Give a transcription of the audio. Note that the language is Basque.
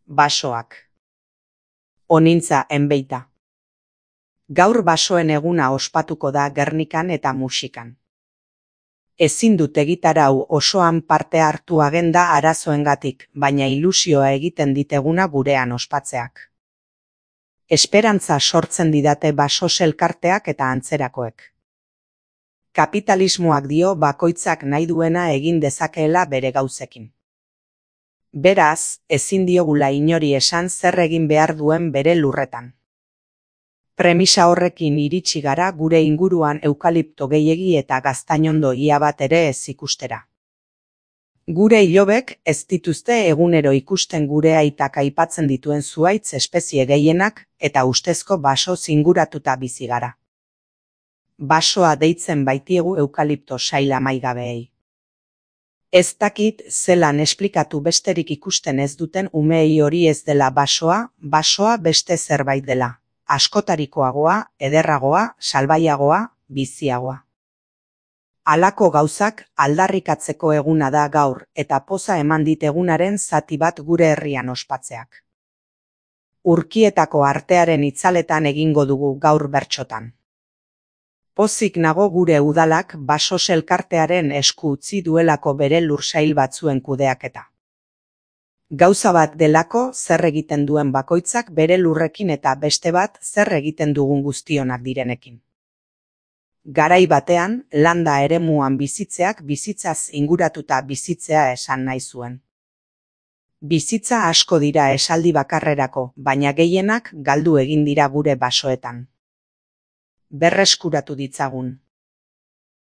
Basoak. Onintza enbeita. Gaur basoen eguna ospatuko da Gernikan eta Muxikan. Ezin dut egitarau osoan parte hartu agenda arazoengatik, baina ilusioa egiten dit eguna gurean ospatzeak. Esperantza sortzen didate basos elkarteak eta antzerakoek. Kapitalismoak dio bakoitzak nahi duena egin dezakeela bere gauzekin. Beraz, ezin diogula inori esan zer egin behar duen bere lurretan. Premisa horrekin iritsi gara gure inguruan eukalipto gehiegi eta gaztainondo ia bat ere ez ikustera. Gure ilobek ez dituzte egunero ikusten gure aitak aipatzen dituen zuhaitz espezie gehienak eta ustezko baso zinguratuta bizi gara. Basoa deitzen baitiegu eukalipto sail amaigabeei. Ez dakit zelan esplikatu besterik ikusten ez duten umeei hori ez dela basoa beste zerbait dela. Askotarikoagoa, ederragoa, salbaiagoa, biziagoa. Halako gauzak aldarrikatzeko eguna da gaur eta poza eman dit egunaren zati bat gure herrian ospatzeak. Urkietako artearen itzaletan egingo dugu gaur bertsotan. Pozik nago gure udalak basos elkartearen esku utzi duelako bere lursail batzuen kudeaketa. Gauza bat delako zer egiten duen bakoitzak bere lurrekin eta beste bat zer egiten dugun guztionak direnekin. Garai batean, landa eremuan bizitzeak bizitzaz inguratuta bizitzea esan nahi zuen. Bizitza asko dira esaldi bakarrerako, baina gehienak galdu egin dira gure basoetan. Berreskuratu ditzagun.